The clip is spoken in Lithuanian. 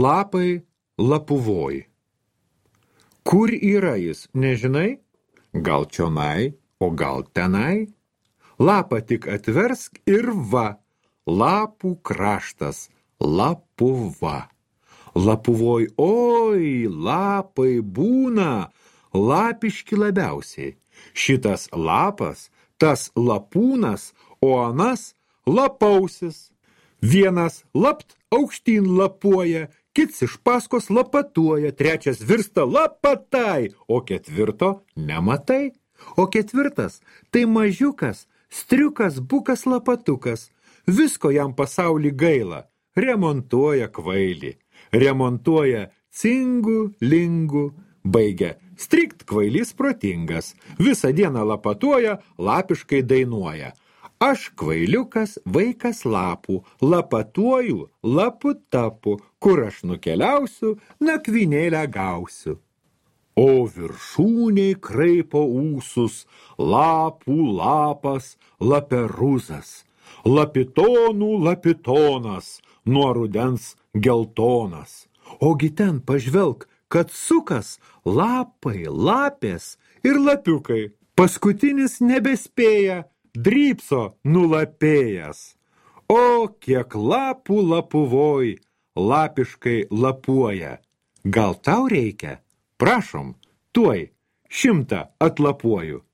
Lapai Lapuvoj. Kur yra jis, nežinai? Gal čionai, o gal tenai? Lapą tik atversk ir va, lapų kraštas, Lapuva. Lapuvoj, oi, lapai būna, lapiški labiausiai. Šitas lapas, tas lapūnas, o anas lapausis. Vienas lapt aukštyn lapuoja, kits iš paskos lapatuoja, trečias virsta lapatai, o ketvirto nematai. O ketvirtas tai mažiukas, striukas, bukas, lapatukas. Visko jam pasaulį gaila, remontuoja kvailį. Remontuoja cingų, lingų, baigia strikt kvailys protingas. Visą dieną lapatuoja, lapiškai dainuoja. Aš kvailiukas, vaikas lapų, lapatuoju, lapu tapu, kur aš nukeliausiu, nakvynėlę gausiu. O viršūniai kraipo ūsus, lapų lapas, laperuzas, lapitonų lapitonas, nuo rudens geltonas. Ogi ten pažvelk, kad sukas lapai, lapės ir lapiukai. Paskutinis nebespėja, drypso nulapėjęs. O kiek lapų Lapuvoj, lapiškai lapuoja. Gal tau reikia? Prašom, tuoj 100 atlapuoju.